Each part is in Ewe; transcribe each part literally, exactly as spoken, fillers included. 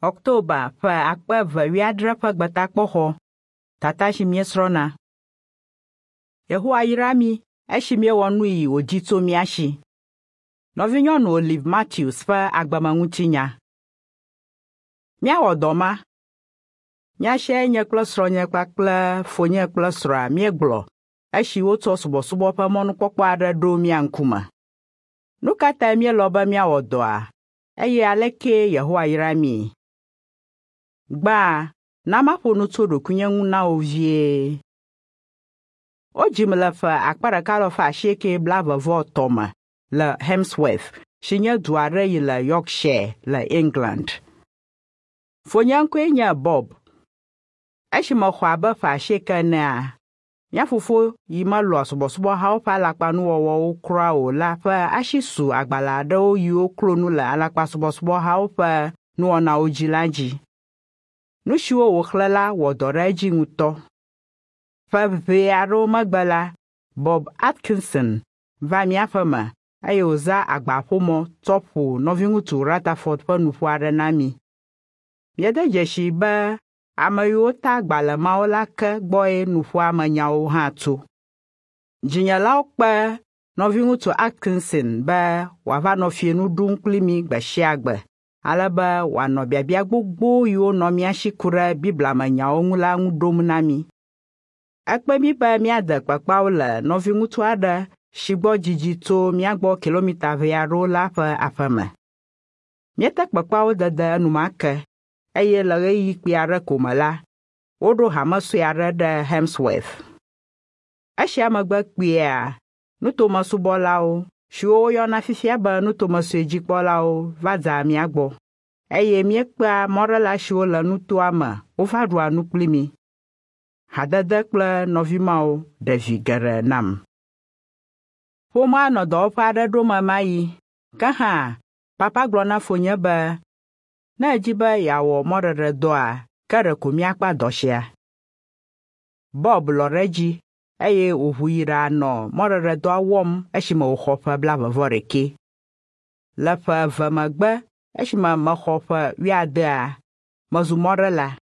Ɔktoba ƒe akpe eve wuiadre ƒe gbetakpɔxɔ tata si míesrɔ̃na. Yehowa yra mí esi míewɔ nu yi wòdi tso mía si. Nɔvinyɔnu Olive Matthews ƒe agbemeŋutinya. Míawɔ dɔ ma. Nya siae nye kple srɔ̃nye kpakple fonye kple srɔ̃a míegblɔ esi wotsɔ subɔsubɔ ƒe mɔnukpɔkpɔ aɖe ɖo mía ŋkume. Nu ka tae míelɔ̃ be míawɔ dɔa eye aleke Yehowa yra mí? Gbã, na maƒo nu tso ɖokuinye ŋu na wò vie. Wodzim le ƒe akpe ɖeka alafa asieke blaeve-vɔ-etɔ̃ me le Hemsworth si nye du aɖe yi le Yorkshire le England. Fonye ŋkɔe nye Bob. Esi mexɔ abe ƒe asieke enea, mía fofo yi melɔ̃a subɔsubɔhawo ƒe alakpanuwɔwɔwo kura o la ƒe asi su agbalẽ aɖewo yiwo klo nu le alakpasubɔsubɔhawo ƒe nuwɔnawo dzi la dzi. Nu siwo wòxlẽ la wɔ dɔ ɖe edzi ŋutɔ. Ƒe ʋɛ aɖewo megbe la, Bob Atkinson va mía ƒeme eye wòzã agbaƒomɔ tsɔ ƒo nɔviŋutsu Rutherford ƒe nuƒo aɖe na mí. Míede dzesii be ame yiwo ta agbalẽ mawo la ke gbɔe nuƒoa me nyawo hã tso. Dzinyelawo kpe nɔviŋutsu Atkinson be wòava nɔ fiẽnu ɖum kpli mí gbe sia gbe ale be wòanɔ biabia gbogbo yiwo nɔ mía si ku ɖe Biblia me nyawo ŋu la ŋu ɖom na mí. Ekpe mí be míade kpekpeawo le nɔviŋutsu aɖe si gbɔ didi tso mía gbɔ kilomita ʋɛ aɖewo la ƒe aƒeme. Míete kpekpeawo dede enumake eye le ɣeyiɣi kpui aɖe ko me la, woɖo hame sue aɖe ɖe Hemsworth. Esia megbe kpuiea, nutomesubɔlawo siwo woyɔna fifia be nutomesuedzikpɔlawo va dea mía gbɔ eye míekpea mɔɖela siwo le nutoa me wova ɖua nu kpli mí. Hadede kple nɔvi mawo ɖe vi geɖe nam. Ƒomea nɔ dɔwɔƒe aɖe ɖom ɣemaɣi. Ke hã, papa gblɔ na fonye be ne edzi be yeawɔ mɔɖeɖedɔa, ke ɖeko míakpa dɔ sia. Bob lɔ̃ ɖe edzi eye wòʋu yi ɖanɔ mɔɖeɖedɔa wɔm esime wòxɔ ƒe blaeve-vɔ-ɖekɛ. Le ƒe eve megbe esime mexɔ ƒe wuiadea, mezu mɔɖela.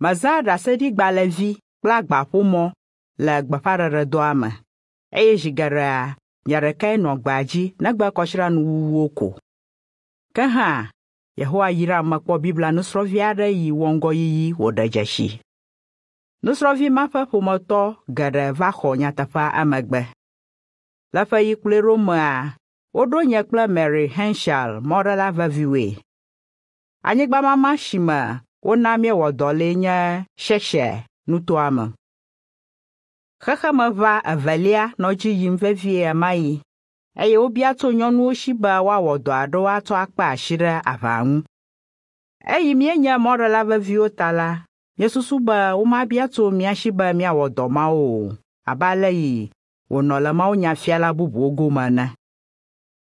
Mezã ɖaseɖigbalẽvi kple agbaƒomɔ le gbeƒãɖeɖedɔa me eye zi geɖea nye ɖekae nɔ gbea dzi negbe kɔsiɖanuwuwuwo ko. Ke hã, Yehowa yram mekpɔ Biblia nusrɔ̃vi aɖe yi wɔ ŋgɔyiyi wòɖe dzesi. Nusrɔ̃vi ma ƒe ƒometɔ geɖe va xɔ nyateƒea emegbe. Le ƒe yi kplɔe ɖo mea, woɖo nye kple Mary Henshall mɔɖela veviwoe. Anyigbamama si me wona míewɔ dɔ lee nye Cheshire nutoa me. Xexemeʋa evelia nɔ edzi yim vevie ɣemaɣi eye wobia tso nyɔnuwo si be woawɔ dɔ aɖewo atsɔ akpe asi ɖe aʋa ŋu. Eyi míenye mɔɖela veviwo ta la, míesusu be womabia tso mía si be míawɔ dɔ mawo o abe ale yi wònɔ le mawunyafiala bubuwo gome ene.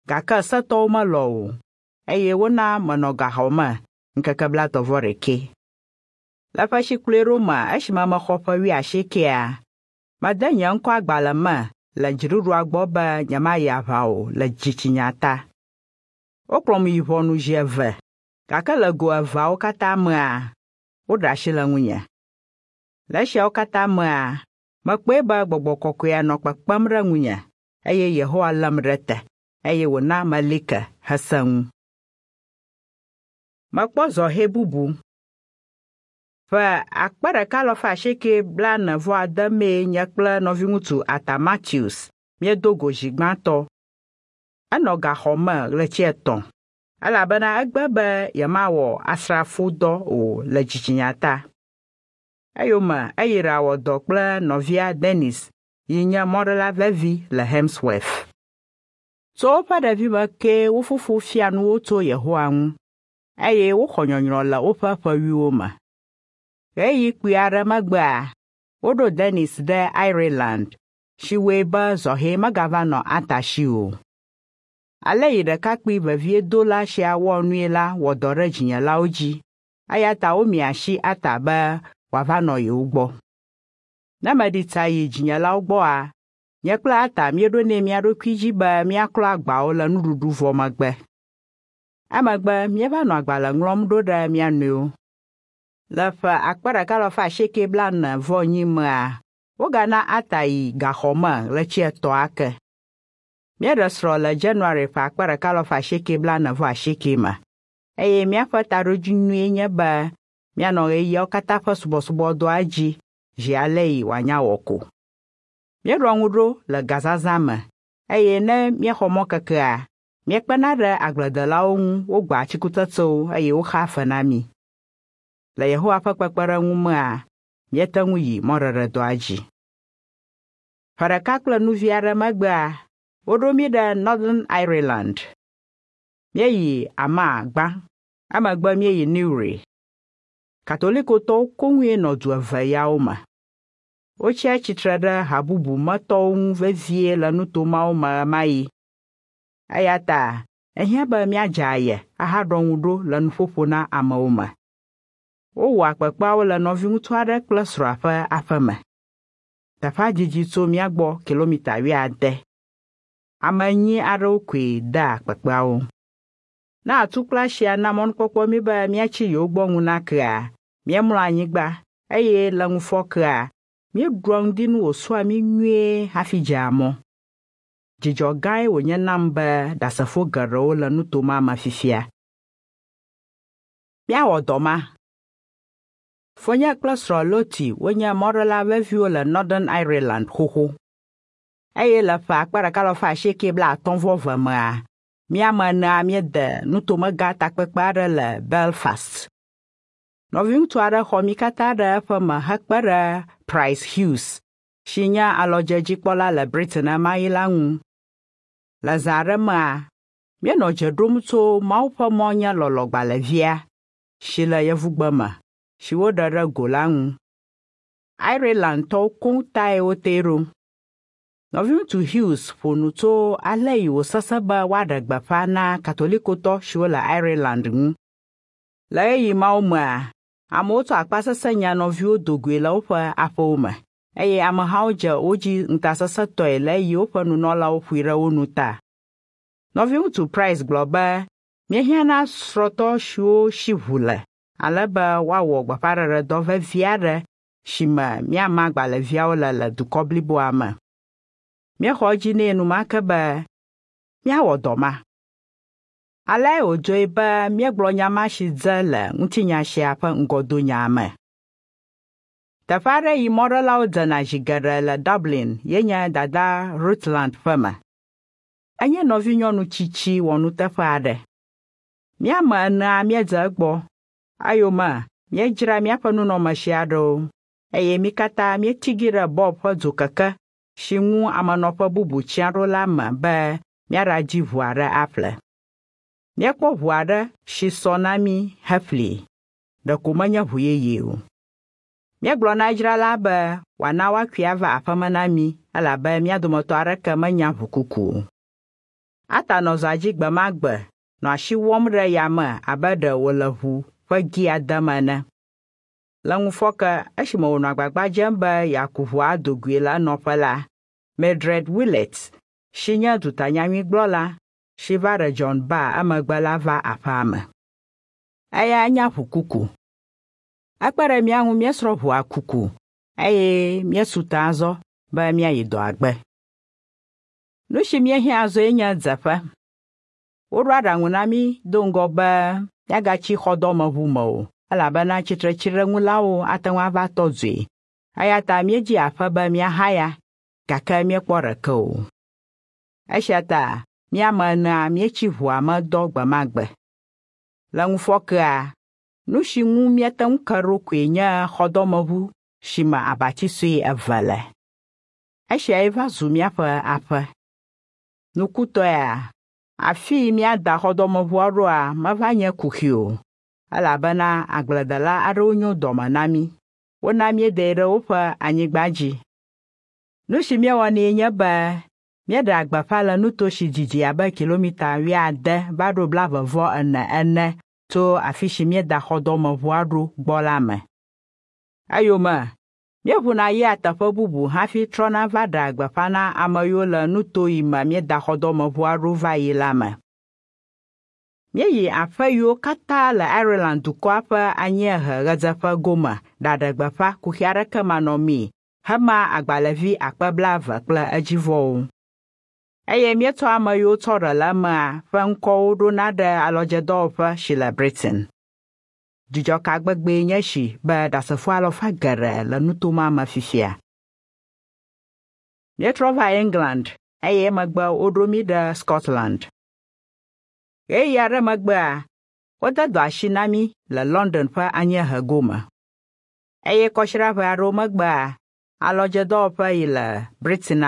Gake setɔwo melɔ̃ o eye wona menɔ gaxɔ me ŋkeke blaetɔ̃-vɔ-ɖekɛ. Le ƒe si kplɔe ɖo me esime mexɔ ƒe wuiasiekɛa, mede nye ŋkɔ agbalẽ me le dziɖuɖua gbɔ be nyemayi aʋa o le dzitsinya ta. Wokplɔm yi ʋɔnu zi eve gake le go eveawo katã mea, woɖe asi le ŋunye. Le esiawo katã mea, mekpɔe be gbɔgbɔ kɔkɔea nɔ kpekpem ɖe ŋunye eye Yehowa lém ɖe te eye wòna meli ke hesẽ ŋu. Mekpɔ zɔhɛ bubu. Ƒe akpe ɖeka alafa asieke blaene-vɔ-ade mee nye kple nɔviŋutsu Arthur Matthews míedo go zi gbãtɔ. Enɔ gaxɔ me ɣleti etɔ̃ elabena egbe be yemawɔ asrafodɔ o le dzitsinya ta. Eyome eyi ɖawɔ dɔ kple nɔvia Dennis yi nye mɔɖela vevi le Hemsworth. Tso woƒe ɖevime kee wo fofo fia nu wo tso Yehowa ŋu eye woxɔ nyɔnyrɔ le woƒe ƒewuiwo me. Ɣeyiɣi kpui aɖe megbea, woɖo Dennis ɖe Ireland si wɔe be zɔhɛ megava nɔ Arthur si o. Ale yi ɖekakpui veviedola sia wɔ nui la wɔ dɔ ɖe dzinyelawo dzi eya ta womia asi Arthur be wòava nɔ yewo gbɔ. Ne meɖi tsa yi dzinyelawo gbɔa, nye kple Arthur míeɖonɛ mía ɖokui dzi be míaklɔ agbawo le nuɖuɖu vɔ megbe. Emegbe míeva nɔ agbalẽ ŋlɔm ɖo ɖe mía nɔewo. Le ƒe akpe ɖeka alafa asieke blaene vɔ enyi mea, wogana Arthur yi gaxɔ me ɣleti etɔ̃ ake. Míeɖe srɔ̃ le January ƒe akpe ɖeka alafa asieke blaene vɔ asieke me eye míaƒe taɖodzinue nye be míanɔ ɣeyiɣiawo katã ƒe subɔsubɔdɔa dzi zi ale yi wòanya wɔ ko. Míeɖɔ ŋu ɖo le gazazã me eye ne míexɔ mɔkekea, míekpena ɖe agbledelawo ŋu wogbea atikutsetsewo eye woxea fe na mí. Le Yehowa ƒe kpekpeɖeŋu mea, míete ŋu yi mɔɖeɖedɔa dzi. Ƒe ɖeka kple nu vi aɖe megbea, woɖo mí ɖe Northern Ireland. Míeyi Armagh gbã, emegbe míeyi Newry. Katolikotɔwo koŋue nɔ du eve yawo me. Wotsia tsitre ɖe ha bubu me tɔwo ŋu vevie le nuto mawo me ɣemaɣi. Eya ta ehiã be míadze aye ahaɖɔ ŋu ɖo le nuƒoƒo na amewo me. Wowɔa kpekpeawo le nɔviŋutsu aɖe kple srɔ̃a ƒe aƒe me. Teƒea didi tso mía gbɔ kilomita wuiade. Ame enyi aɖewo koe dea kpekpeawo. Ne atu kple asia na mɔnukpɔkpɔ mí be míatsi yewo gbɔ ŋu nakea, míemlɔa anyigba eye le ŋufɔkea, míeɖua ŋdinu wòsɔa mí nyuie hafi dzea mɔ. Dzidzɔ gãe wònye nam be Ɖasefo geɖewo le nuto ma me fifia. Míawɔ dɔ ma. Fonye kple srɔ̃ Lottie wonye mɔɖela veviwo le Northern Ireland xoxo. Eye le ƒe akpe ɖeka alafa asieke blaatɔ̃ vɔ eve mea, mí ame enea míede nutomegã takpekpe aɖe le Belfast. Nɔviŋutsu aɖe xɔ mí katã ɖe eƒe me hekpe ɖe Pryce Hughes, si nye alɔdzedzikpɔla le Britain ɣemaɣi la ŋu. Le zã aɖe mea, míenɔ dze ɖom tso Mawu ƒe mɔ nye lɔlɔ̃gbalẽvia si le yevugbe me si woɖe ɖe go la ŋu. Irelandtɔwo koŋ tae wotee ɖo. Nɔviŋutsu Hughes ƒo nu tso ale yi wòsesẽ be woaɖe gbeƒã na Katolikotɔ siwo le Ireland ŋu. Le ɣeyiɣi mawo mea, amewo tsɔ akpasesẽ nya nɔviwo do goe le woƒe aƒewo me eye amehawo dze wo dzi ŋutasesẽtɔe le eyi woƒe nunɔlawo ƒoe ɖe wo nu ta. Nɔviŋutsu Pryce gblɔ be míehiã na srɔ̃tɔ siwo si ʋu le ale be woawɔ gbeƒãɖeɖedɔ vevi aɖe si me míama agbalẽviawo le le dukɔ bliboa me. Míexɔ edzi nɛ enumake be míawɔ dɔ ma. Aleae wòdzɔe be míegblɔ nya ma si dze le ŋutinya sia ƒe ŋgɔdonya me. Teƒe aɖe yi mɔɖelawo dzena zi geɖe le Dublin ye nye Dada Rutland ƒe me. Enye nɔvinyɔnu tsitsi wɔnuteƒe aɖe. Mí ame enea míedze egbɔ. Eyome míedzra míaƒe nunɔamesi aɖewo eye mí katã míetigi ɖe Bob ƒe dzokeke si ŋu amenɔƒe bubu tsiã ɖo la me be míaɖadi ʋu aɖe aƒle. Míekpɔ ʋu aɖe si sɔ na mí heƒlee. Ɖeko menye ʋu yeye o. Míegblɔ na edzrala be wòana woakui ava aƒeme na mí elabe mía dometɔ aɖeke menya ʋukuku o. Arthur nɔ zɔa dzi gbe ma gbe nɔ asi wɔm ɖe yame abe ɖe wòle ʋu ƒe gia dem ene. Le ŋufɔke esime wònɔ agbagba dzem be yeaku ʋua ado goe le enɔƒe la, Mildred Willett, si nye dutanyanyuigblɔla si va ɖe John Barr emegbe la va aƒea me. Eya nya ʋukuku. Ekpe ɖe mía ŋu míesrɔ̃ ʋua kuku eye míesu te azɔ be míayi dɔa gbe. Nu si míehiã azɔe nye dzeƒe. Woɖo aɖaŋu na mí do ŋgɔ be míagatsi xɔdɔmeʋu me o elabena tsitretsiɖeŋulawo ate ŋu ava tɔ dzoe. Eya ta míedzi aƒe be míahaya gake míekpɔ ɖeke o. Esia ta mí ame enea míetsi ʋua me dɔ gbe ma gbe. Le ŋufɔkea, nu si ŋu míete ŋu ke ɖo koe nye xɔdɔmeʋu si me abati sue eve le. Esiae va zu míaƒe aƒe. Nukutɔea, afii míada xɔdɔmeʋua ɖoa meva nye kuxi o elabena agbledela aɖewo nyo dɔme na mí. Wona míedae ɖe woƒe anyigba dzi. Nu si míewɔnɛ nye be míeɖea gbeƒã le nuto si didi abe kilomita wuiade va ɖo blaeve vɔ ene ene tso afi si míeda xɔdɔmeʋua ɖo gbɔ la me. Eyome míeʋuna yia teƒe bubu hafi trɔna va ɖea gbeƒã na ame yiwo le nuto yi me míeda xɔdɔmeʋua ɖo va yi la me. Míeyi aƒe yiwo katã le Ireland dukɔa ƒe anyiehe ɣedzeƒe gome ɖaɖe gbeƒã kuxi aɖeke manɔmee hema agbalẽvi akpe blaeve kple edzivɔwo. Eye míetsɔ ame yiwo tsɔ ɖe le emea ƒe ŋkɔwo ɖona ɖe alɔdzedɔwɔƒe si le Britain. Dzidzɔ ka gbegbee nye esi be Ɖasefo alafa geɖe le nuto ma me fifia. Míetrɔ va England eye emegbe woɖo mí ɖe Scotland. Ɣeyiɣi aɖe megbea, wode dɔ asi na mí le London ƒe anyiehe gome. Eye kɔsiɖa ʋɛ aɖewo megbea, alɔdzedɔwɔƒe yi le Britain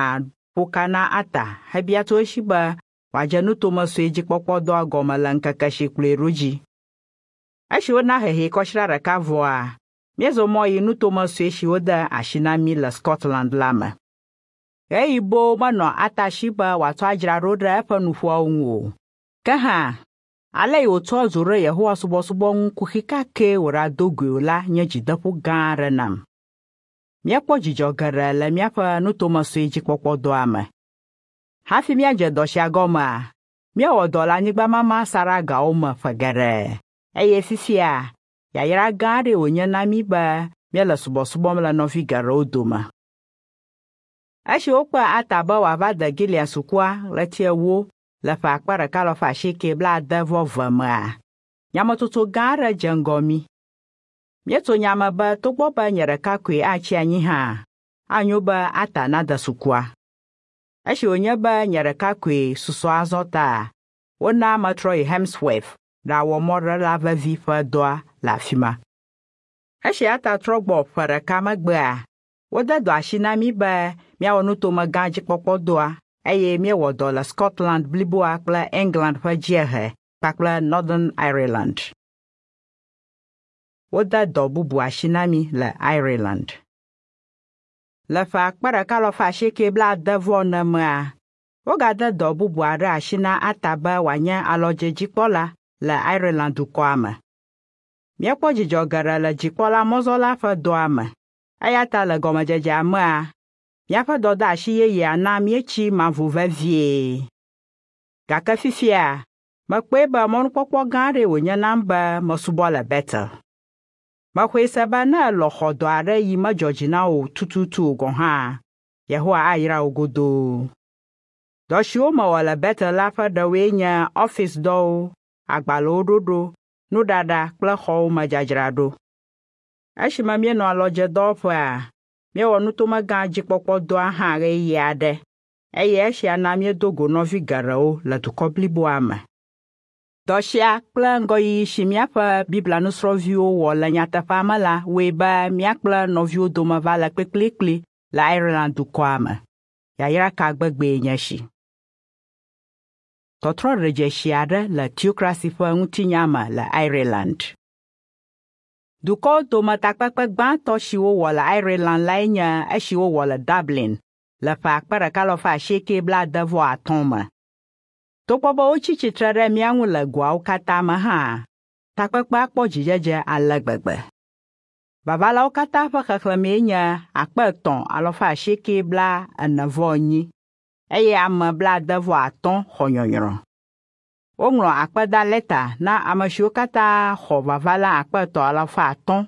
ƒo ka na Arthur hebia tso esi be wòadze nutome sue dzikpɔkpɔdɔa gɔme le ŋkeke si kplɔe ɖo dzi. Esi wona hehee kɔsiɖa ɖeka vɔa, míezɔ mɔ yi nutome sue si wode asi na mí le Scotland la me. Ɣeyiɣi boo menɔ Arthur si be wòatsɔ adzra ɖo ɖe eƒe nuƒoawo ŋu o. Ke hã, ale yi wòtsɔ dzo ɖe Yehowa subɔsubɔ ŋu kuxi ka kee wòɖado goe o la nye dzideƒo gã aɖe nam. Míekpɔ dzidzɔ geɖe le míaƒe nutome sue dzikpɔkpɔdɔa me. Hafi míadze dɔ sia gɔmea, míewɔ dɔ le anyigbamama saɖeagawo me ƒe geɖe eye fifia yayra gã aɖee wònye na mí be míele subɔsubɔm le nɔvi geɖewo dome. Esi wokpe Arthur be wòava de Gilead sukua ɣleti ewo le ƒe akpe ɖeka alafa asieke blaade vɔ eve mea, nyametsotso gã aɖe dze ŋgɔ mí. Míetso nya me be togbɔ be nye ɖeka koe atsi anyi hã, anyo be Arthur nade sukua. Esi wònye be nye ɖeka koe susɔ azɔ ta, wona metrɔ yi Hemsworth ɖawɔ mɔɖela vevi ƒe dɔa le afi ma. Esi Arthur trɔ gbɔ ƒe ɖeka megbea, wode dɔ asi na mí be míawɔ nutome gã dzikpɔkpɔdɔa eye míewɔ dɔ le Scotland bliboa kple England ƒe dziehe kpakple Northern Ireland. Wode dɔ bubu asi na mí le Ireland. Le ƒe akpe ɖeka alafa asieke blaade vɔ ene mea, wogade dɔ bubu aɖe asi na Arthur be wòanye alɔdzedzikpɔla le Ireland dukɔa me. Míekpɔ dzidzɔ geɖe le dzikpɔla mɔzɔla ƒe dɔa me eya ta le gɔmedzedzea mea, míaƒe dɔdeasi yeyea na míetsi mavo vevie. Gake fifia, mekpɔe be mɔnukpɔkpɔ gã aɖee wònye nam be mesubɔ le Bethel. Mexɔe se be ne èlɔ̃ xɔ dɔ aɖe yi medzɔ dzi na wò tututu o gɔ̃ hã, Yehowa ayra wò godoo. Dɔ siwo mewɔ le Bethel la ƒe ɖewoe nye ɔfisdɔwo, agbalẽwo ɖoɖo, nuɖaɖa kple xɔwo me dzadzraɖo. Esime míenɔ alɔdzedɔwɔƒea, míewɔ nutome gã dzikpɔkpɔdɔa hã ɣeyiɣi aɖe eye esia na míedo go nɔvi geɖewo le dukɔ bliboa me. Dɔ sia kple ŋgɔyiyi si míaƒe Biblia nusrɔ̃viwo wɔ le nyateƒea me la wɔe be mía kple nɔviwo dome va le kplikplikpli le Ireland dukɔa me. Yayra ka gbegbee nye esi! Tɔtrɔ ɖedzesi aɖe le teokrasi ƒe ŋutinya me le Ireland. Dukɔwo dome takpekpe gbãtɔ si wowɔ le Ireland lae nye esi wowɔ le Dublin le ƒe akpe ɖeka alafa asieke blaade vɔ atɔ̃ me. Togbɔ be wotsi tsitre ɖe mía ŋu le goawo katã me hã, takpekpea kpɔ dzidzedze ale gbegbe. Vavalawo katã ƒe xexlẽmee nye akpe etɔ̃ alafa asieke bla ene vɔ enyi eye ame blaade vɔ atɔ̃ xɔ nyɔnyrɔ. Woŋlɔ akpedalɛta na ame siwo katã xɔ vavala akpe etɔ̃ alafa atɔ̃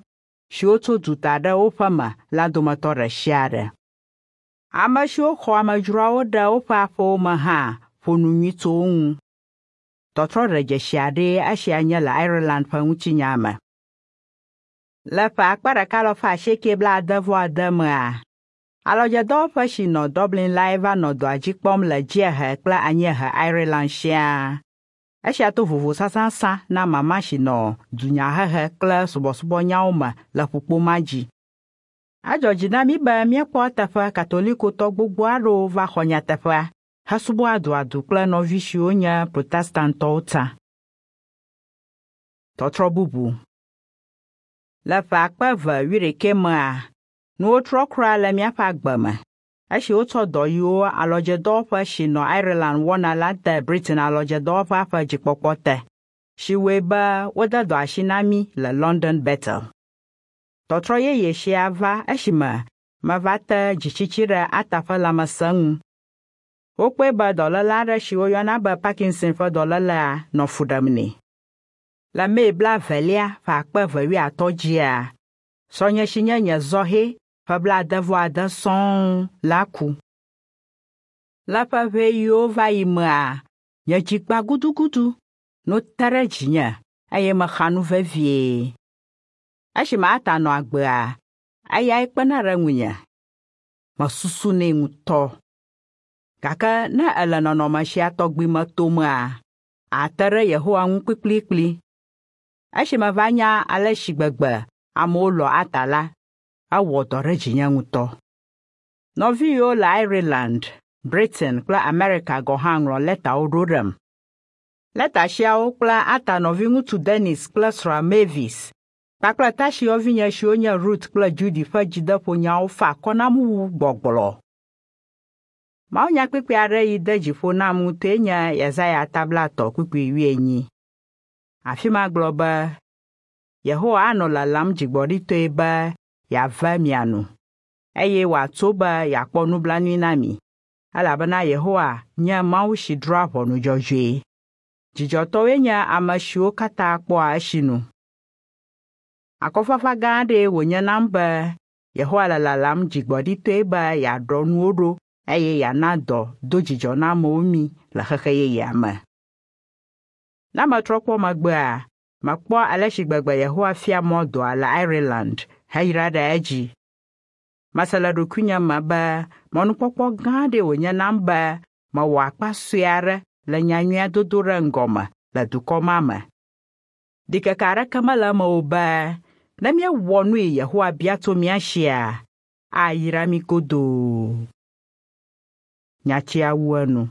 siwo tso duta ɖe woƒe me la dometɔ ɖe sia ɖe. Ame siwo xɔ amedzroawo ɖe woƒe aƒewo me hã ƒo nu nyui tso wo ŋu. Tɔtrɔ ɖedzesi aɖee esia nye le Ireland ƒe ŋutinya me. Le ƒe akpe ɖeka alafa asieke blaade vɔ ade mea, alɔdzedɔwɔƒe si nɔ Dublin lae va nɔ dɔa dzi kpɔm le dziehe kple anyiehe Ireland siaa. Esia to vovo sãsãsã na mama si nɔ dunyahehe kple subɔsubɔnyawo me le ƒukpo ma dzi. Edzɔ dzi na mí be míekpɔ eteƒe Katolikotɔ gbogbo aɖewo va xɔ nyateƒea hesubɔ aduadu kple nɔvi siwo nye Protestantɔwo tsã. Tɔtrɔ bubu. Le ƒe akpe eve wuiɖekɛ mea, nuwo trɔ kura le míaƒe agbe me. Esi wotsɔ dɔ yiwo alɔdzedɔwɔƒe si nɔ Ireland wɔna la de Britain alɔdzedɔwɔƒea ƒe dzikpɔkpɔ te, si wɔe be wode dɔ asi na mí le London Bethel. Tɔtrɔ yeye sia va esime meva te dzitsitsi ɖe Arthur ƒe lãmesẽ ŋu. Wokpɔe be dɔléle aɖe si woyɔna be Parkinson ƒe dɔlélea nɔ fu ɖem nɛ. Le Mee blaevelia ƒe akpe eve wuiatɔ̃ dzia, srɔ̃nye si nye nye zɔhɛ ƒe blaade-vɔ-ade sɔŋ la ku. Le ƒe ʋɛ yiwo va yi mea, nye dzi gbã gudugudu, nu te ɖe dzinye eye mexa nu vevie. Esime Arthur nɔ agbea, eyae kpena ɖe ŋunye. Mesusunɛ ŋutɔ. Gake ne èle nɔnɔme sia tɔgbi me tomea, àte ɖe Yehowa ŋu kplikplikpli. Esi meva nya ale si gbegbe amewo lɔ̃ Arthur la, ewɔ dɔ ɖe dzinye ŋutɔ. Nɔvi yiwo le Ireland, Britain kple Amerika gɔ̃ hã ŋlɔ lɛtawo ɖo ɖem. Lɛta siawo kple Arthur nɔviŋutsu Dennis kple srɔ̃a Mavis kpakple tasiyɔvinye siwo nye Ruth kple Judy ƒe dzideƒonyawo fa akɔ nam wu gbɔgblɔ. Mawunyakpukpui aɖe yi de dzi ƒo nam ŋutɔe nye Yesaya ta blaetɔ̃ kpukpui wuienyi. Afi ma gblɔ be, Yehowa anɔ lalam dzigbɔɖitɔe be yeave mia nu eye wòatso be yeakpɔ nublanui na mi elabena Yehowa nye Mawu si drɔ̃a ʋɔnu dzɔdzɔe. Dzidzɔtɔwoe nye ame siwo katã kpɔa esinu. Akɔfafa gã aɖee wònye nam be Yehowa le lalam dzigbɔɖitɔe be yeaɖɔ nuwo ɖo eye yeana dɔ dodzidzɔnamewo mí le xexe yeyea me. Ne metrɔ kpɔ megbea, mekpɔ ale si gbegbe Yehowa fia mɔ dɔa le Ireland heyra ɖe edzi. Mese le ɖokuinye me be mɔnukpɔkpɔ gã aɖee wònye nam be mewɔ akpa sue aɖe le nyanyuia dodo ɖe ŋgɔme le dukɔ ma me. Ɖikeke aɖeke mele eme o be ne míewɔ nu yi Yehowa bia tso mía sia, ayra mí godoo. Nyatia wu enu.